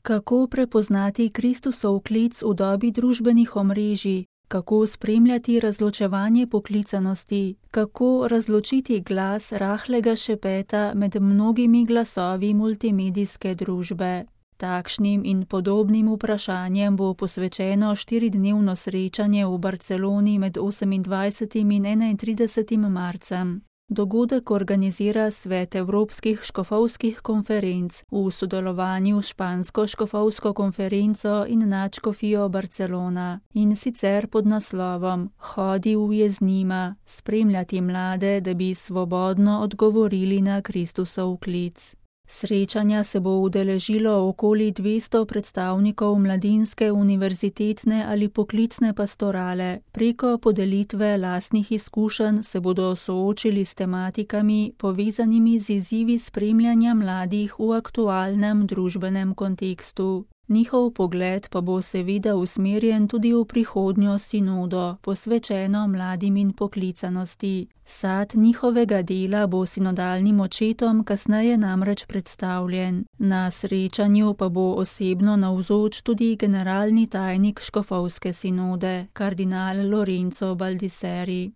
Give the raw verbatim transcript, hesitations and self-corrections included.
Kako prepoznati Kristusov klic v dobi družbenih omrežij? Kako spremljati razločevanje poklicanosti? Kako razločiti glas rahlega šepeta med mnogimi glasovi multimedijske družbe? Takšnim in podobnim vprašanjem bo posvečeno štiridnevno srečanje v Barceloni med osemindvajsetim in enaintridesetim marcem. Dogodek organizira Svet evropskih škofovskih konferenc v sodelovanju s Špansko škofovsko konferenco in Nadškofijo Barcelona, in sicer pod naslovom Hodi v Jeznima, spremljati mlade, da bi svobodno odgovorili na Kristusov klic. Srečanja se bo udeležilo okoli dvesto predstavnikov mladinske, univerzitetne ali poklicne pastorale. Preko podelitve lastnih izkušenj se bodo soočili s tematikami, povezanimi z izzivi spremljanja mladih v aktualnem družbenem kontekstu. Njihov pogled pa bo seveda usmerjen tudi v prihodnjo sinodo, posvečeno mladim in poklicanosti. Sad njihovega dela bo sinodalnim očetom kasneje namreč predstavljen. Na srečanju pa bo osebno navzoč tudi generalni tajnik škofovske sinode, kardinal Lorenzo Baldisseri.